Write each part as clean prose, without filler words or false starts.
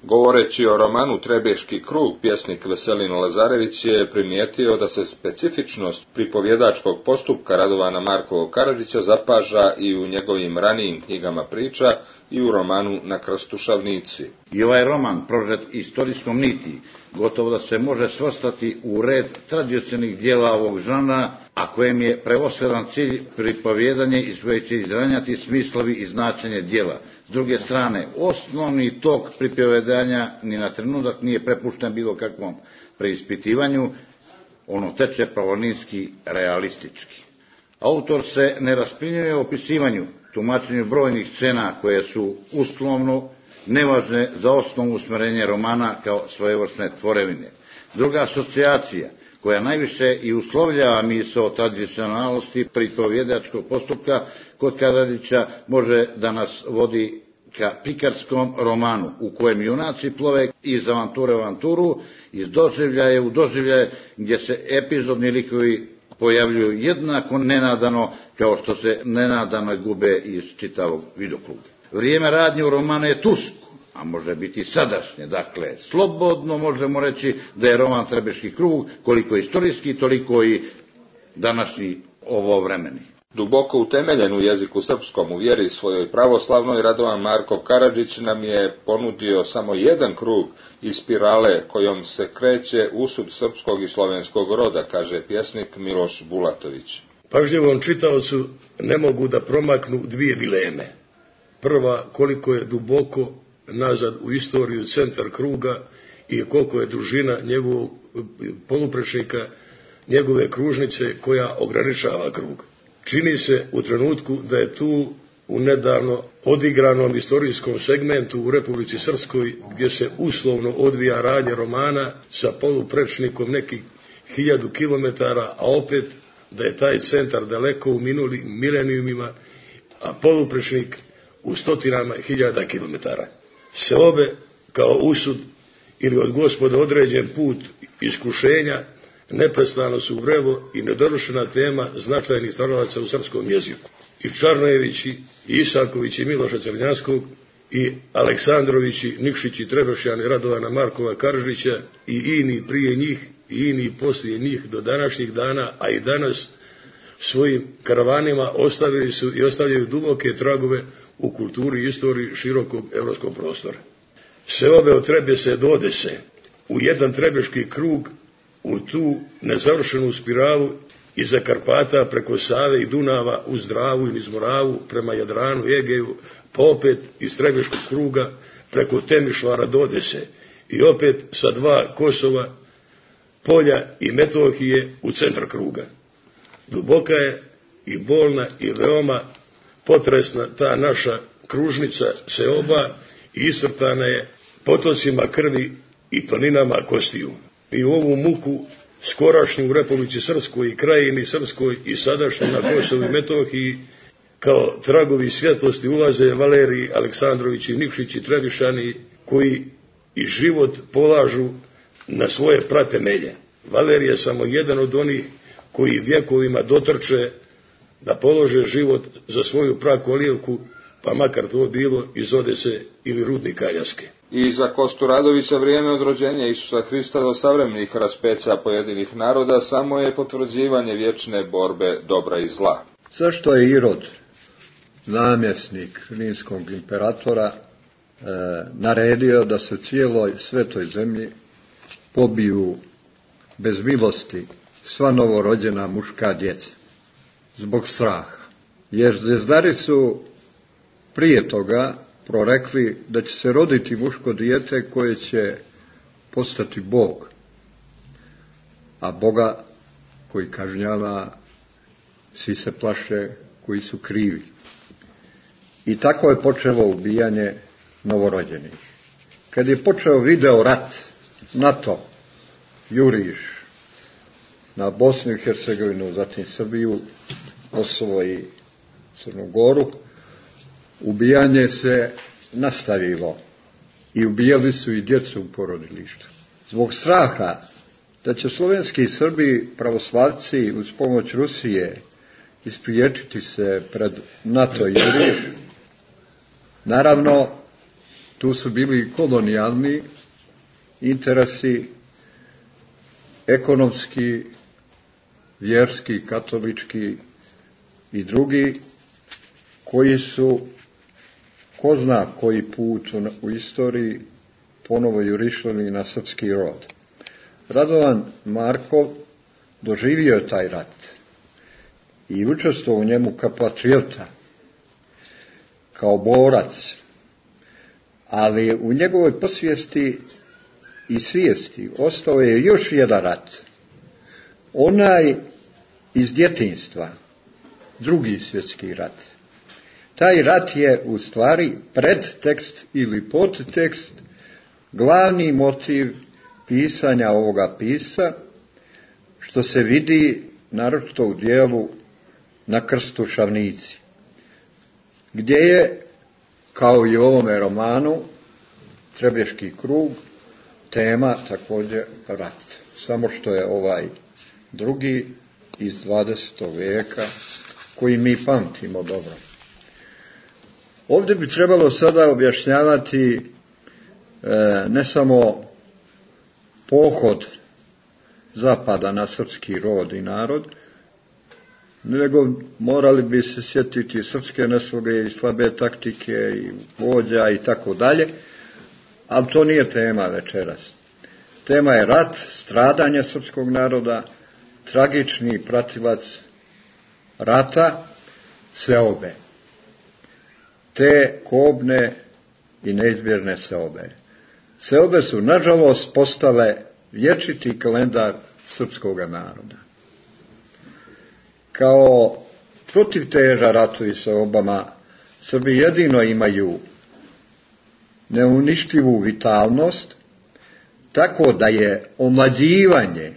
Govoreći o romanu Trebeški krug, pjesnik Veselin Lazarević je primijetio da se specifičnost pripovjedačkog postupka Radovana Markovog Karadžića zapaža i u njegovim ranijim knjigama priča i u romanu Na krstu šavnici. I ovaj roman, prožet istorijskom niti, gotovo da se može svrstati u red tradicionalnih dijela ovog žanra, a kojem je prevashodan cilj pripovjedanje iz koje će izranjati smislovi i značenje dijela. S druge strane, osnovni tok pripovjedanja ni na trenutak nije prepušten bilo kakvom preispitivanju, ono teče pravolinijski, realistički. Autor se ne raspinjuje opisivanju, tumačenju brojnih scena koje su uslovno nevažne za osnovno usmjerenje romana kao svojevrsne tvorevine. Druga asocijacija, koja najviše i uslovljava misao tradicionalnosti pripovjedačkog postupka kod Karadžića, može da nas vodi ka prikarskom romanu, u kojem junaci plove iz avanture u avanturu, iz doživljaje u doživljaje, gdje se epizodni likovi pojavljuju jednako nenadano kao što se nenadano gube iz čitavog vidokruga. Vrijeme radnje u romanu je tursko, a može biti sadašnje. Dakle, slobodno možemo reći da je roman Trebeški krug koliko istorijski, toliko i današnji ovovremeni. Duboko utemeljen u jeziku srpskom, u vjeri svojoj pravoslavnoj, Radovan Markov Karadžić nam je ponudio samo jedan krug iz spirale kojom se kreće usud srpskog i slovenskog roda, kaže pjesnik Miloš Bulatović. Pažljivom čitaocu ne mogu da promaknu dvije dileme. Prva, koliko je duboko nazad u istoriju centar kruga i koliko je dužina njegovog poluprečnika, njegove kružnice koja ograničava krug. Čini se u trenutku da je tu u nedavno odigranom istorijskom segmentu u Republici Srpskoj, gdje se uslovno odvija radnje romana sa poluprečnikom nekih 1000 kilometara, a opet da je taj centar daleko u minulim milenijumima, a poluprečnik u stotinama hiljada kilometara. Seobe kao usud ili od Gospoda određen put iskušenja neprestano su vrelo i nedovršena tema značajnih stvaralaca u srpskom jeziku. I Čarnojevići, i Isakovići, Miloša Crnjanskog, i Aleksandrovići, Nikšići, Trebešjani, Radovana Markova Karadžića, i ini prije njih, i ini poslije njih do današnjih dana, a i danas svojim karavanima ostavili su i ostavljaju duboke tragove u kulturi i istoriji širokog evropskog prostora. Seobe od Trebese do Odese, u jedan Trebeški krug, u tu nezavršenu spiralu iza Karpata preko Save i Dunava uz Dravu i niz Moravu prema Jadranu i Egeju, pa opet iz Trebeškog kruga preko Temišvara do Odese i opet sa dva Kosova, Polja i Metohije u centar kruga. Duboka je i bolna i veoma potresna ta naša kružnica seoba i iscrtana je potocima krvi i toninama kostiju. I u ovu muku skorašnju u Republici Srpskoj i krajini Srpskoj i sadašnju na Kosovu i Metohiji kao tragovi svjetlosti ulaze Valerij, Aleksandrovići, Nikšići, Trebišani, koji i život polažu na svoje pratemelje. Valerij je samo jedan od onih koji vjekovima dotrče da polože život za svoju prakolijevku, pa makar to bilo iz Odese ili Rudnika Aljaske. I za Kostu Radovića vrijeme od rođenja Isusa Hrista do savremenih raspeća pojedinih naroda samo je potvrđivanje vječne borbe dobra i zla. Zašto je Irod, namjesnik rimskog imperatora, naredio da se cijeloj svetoj zemlji pobiju bez milosti sva novorođena muška djeca? Zbog straha. Jer zvezdari su prije toga prorekli da će se roditi muško dijete koje će postati Bog, a Boga koji kažnjava, svi se plaše koji su krivi. I tako je počelo ubijanje novorođenih. Kad je počeo video rat, NATO juriš na Bosnu i Hercegovinu, zatim Srbiju, Kosovo i Crnu Goru, ubijanje se nastavilo i ubijali su i djecu u porodilištu. Zbog straha da će slovenski Srbi pravoslavci uz pomoć Rusije ispriječiti se pred NATO juriš, naravno Tu su bili kolonijalni interesi, ekonomski, vjerski, katolički i drugi, koji su, ko zna koji put u istoriji, ponovo jurišali na srpski rod. Radovan Markov doživio je taj rat i učestvovao u njemu kao patriota, kao borac, ali u njegovoj posvijesti i svijesti ostao je još jedan rat, onaj iz djetinjstva, Drugi svjetski rat. Taj rat je u stvari predtekst ili podtekst, glavni motiv pisanja ovoga pisa, što se vidi naročito u dijelu Na krstu Šavnici, gdje je, kao i u ovome romanu, Treblješki krug, tema također rat. Samo što je ovaj drugi iz 20. vijeka, koji mi pamtimo dobro. Ovdje bi trebalo sada objašnjavati ne samo pohod zapada na srpski rod i narod, nego morali bi se sjetiti srpske nesloge i slabe taktike i vođa i tako dalje, ali to nije tema večeras. Tema je rat, stradanje srpskog naroda, tragični pratilac rata, seobe. Te kobne i neizbježne seobe. Seobe su, nažalost, postale vječiti kalendar srpskog naroda. Kao protivteža ratu i seobama, Srbi jedino imaju neuništivu vitalnost, tako da je omlađivanje,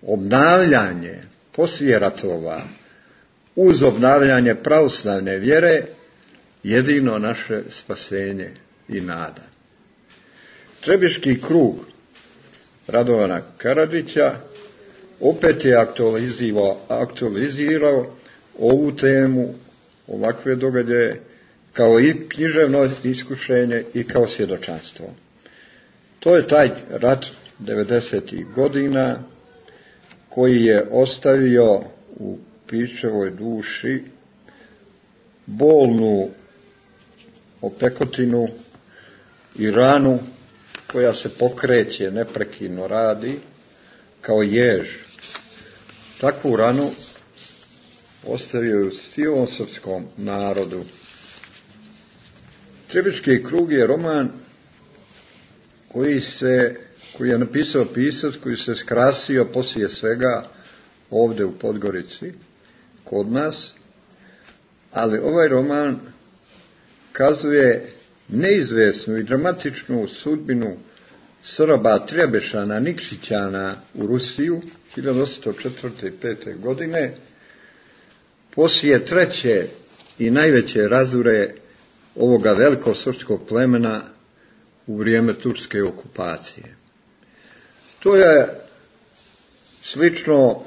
obnavljanje poslije ratova uz obnavljanje pravoslavne vjere jedino naše spasenje i nada. Treblješki krug Radovana Karadžića opet je aktualizirao ovu temu, ovakve događaje, kao i književno iskušenje i kao svjedočanstvo. To je taj rat 90. godina koji je ostavio u Pičevoj duši bolnu opekotinu i ranu koja se pokreće, neprekidno radi, kao jež. Takvu ranu ostavio je u cijelom srpskom narodu. Treblješki krug je roman koji je napisao pisac, koji se skrasio poslije svega ovdje u Podgorici, kod nas, ali ovaj roman kazuje neizvjesnu i dramatičnu sudbinu Srba Trebešana Nikšićana u Rusiju 1804. i 5. godine, poslije treće i najveće razure ovoga velikosrpskog plemena u vrijeme turske okupacije. To je slično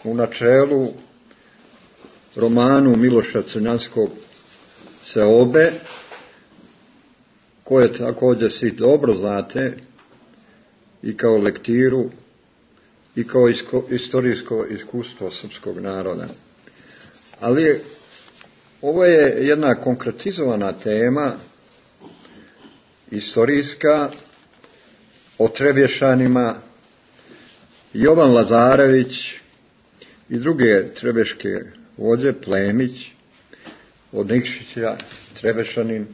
u načelu romanu Miloša Crnjanskog Seobe, koje također svi dobro znate i kao lektiru i kao istorijsko iskustvo srpskog naroda. Ali ovo je jedna konkretizovana tema, istorijska, o Trebješanima. Jovan Lazarević i druge trebeške vođe, Plemić, od Nikšića, Trebešanin,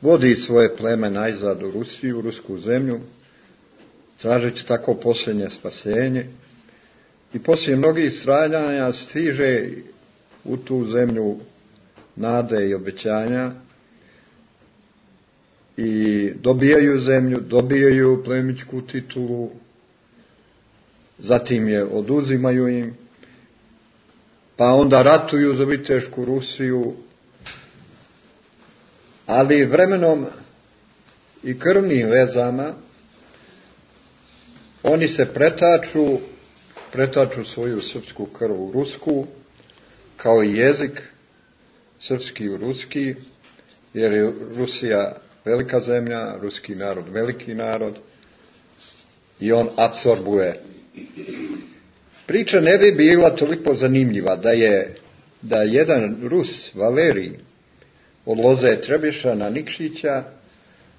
vodi svoje pleme najzad u Rusiju, u rusku zemlju, tražeći tako posljednje spasenje, i poslije mnogih stradanja stiže u tu zemlju nade i obećanja i dobijaju zemlju, dobijaju plemićku titulu, zatim je oduzimaju im, pa onda ratuju za Vitešku Rusiju, ali vremenom i krvnim vezama oni se pretaču svoju srpsku krv u rusku, kao i jezik srpski u ruski, jer je Rusija velika zemlja, ruski narod veliki narod i on apsorbuje. Priča ne bi bila toliko zanimljiva da jedan Rus, Valerij, od loze Trebješana Nikšića,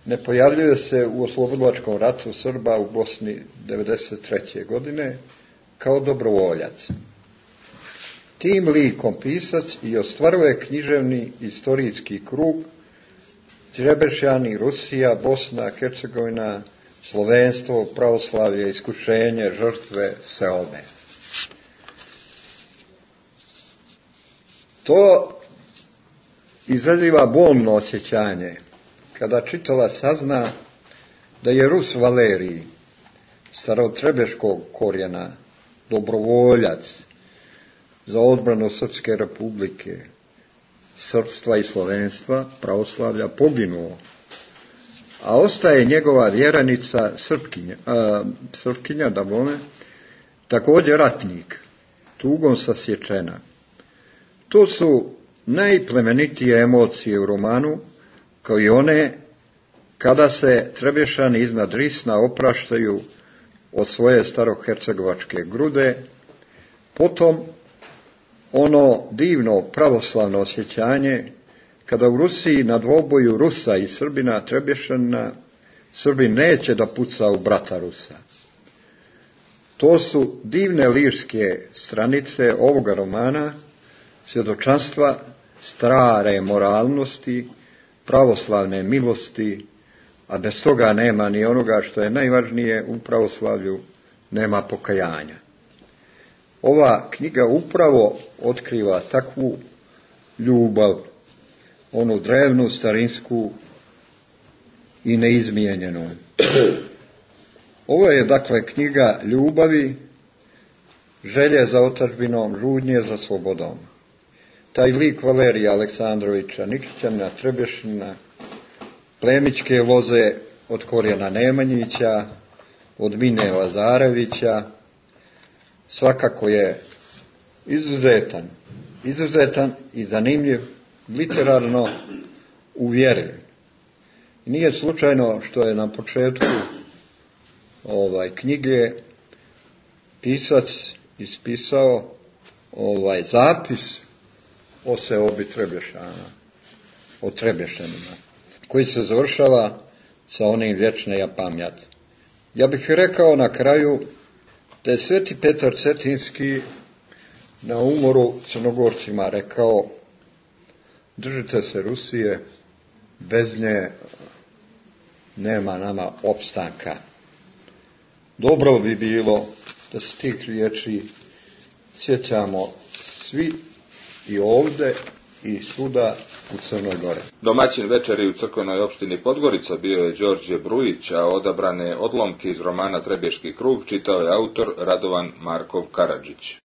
ne pojavljuje se u oslobodilačkom ratu Srba u Bosni 1993. godine kao dobrovoljac. Tim likom pisac i ostvaruje književni istorijski krug Trebešani, Rusija, Bosna, Hercegovina, slovenstvo, pravoslavlje, iskušenje, žrtve, seobe. To izaziva bolno osjećanje kada čitala sazna da je Rus Valerij, starotrebeškog korijena, dobrovoljac za odbranu Srpske republike, srpstva i slovenstva, pravoslavlja, poginuo, a ostaje njegova vjeranica Srpkinja, da bome, također ratnik, tugom sasječena. To su najplemenitije emocije u romanu, kao i one kada se Trebješani iznad Risna opraštaju od svoje starohercegovačke grude, potom ono divno pravoslavno osjećanje kada u Rusiji na dvoboju Rusa i Srbina Trebješanina Srbin neće da puca u brata Rusa. To su divne lirske stranice ovoga romana, svjedočanstva stare moralnosti, pravoslavne milosti, a bez toga nema ni onoga što je najvažnije u pravoslavlju, nema pokajanja. Ova knjiga upravo otkriva takvu ljubav, onu drevnu, starinsku i neizmijenjenu. Ovo je dakle knjiga ljubavi, želje za otadžbinom, žudnje za slobodom. Taj lik Valerija Aleksandrovića Nikšića, Trebješina, plemićke loze od korijena Nemanjića, od Mine Lazarevića, svakako je izuzetan i zanimljiv, literarno uvjerljiv. Nije slučajno što je na početku knjige pisac ispisao zapis o seobi Trebješana, o Trebješanima, koji se završava sa onim vječna pamjat. Ja bih rekao na kraju da je Sveti Petar Cetinski na umoru Crnogorcima rekao: držite se Rusije, bez nje nema nama opstanka. Dobro bi bilo da se tih riječi sjećamo svi i ovdje i svuda u Crnoj Gori. Domaćin večeri u crkvenoj opštini Podgorica bio je Đorđe Brujić, a odabrane odlomke iz romana Trebješki krug čitao je autor Radovan Markov Karadžić.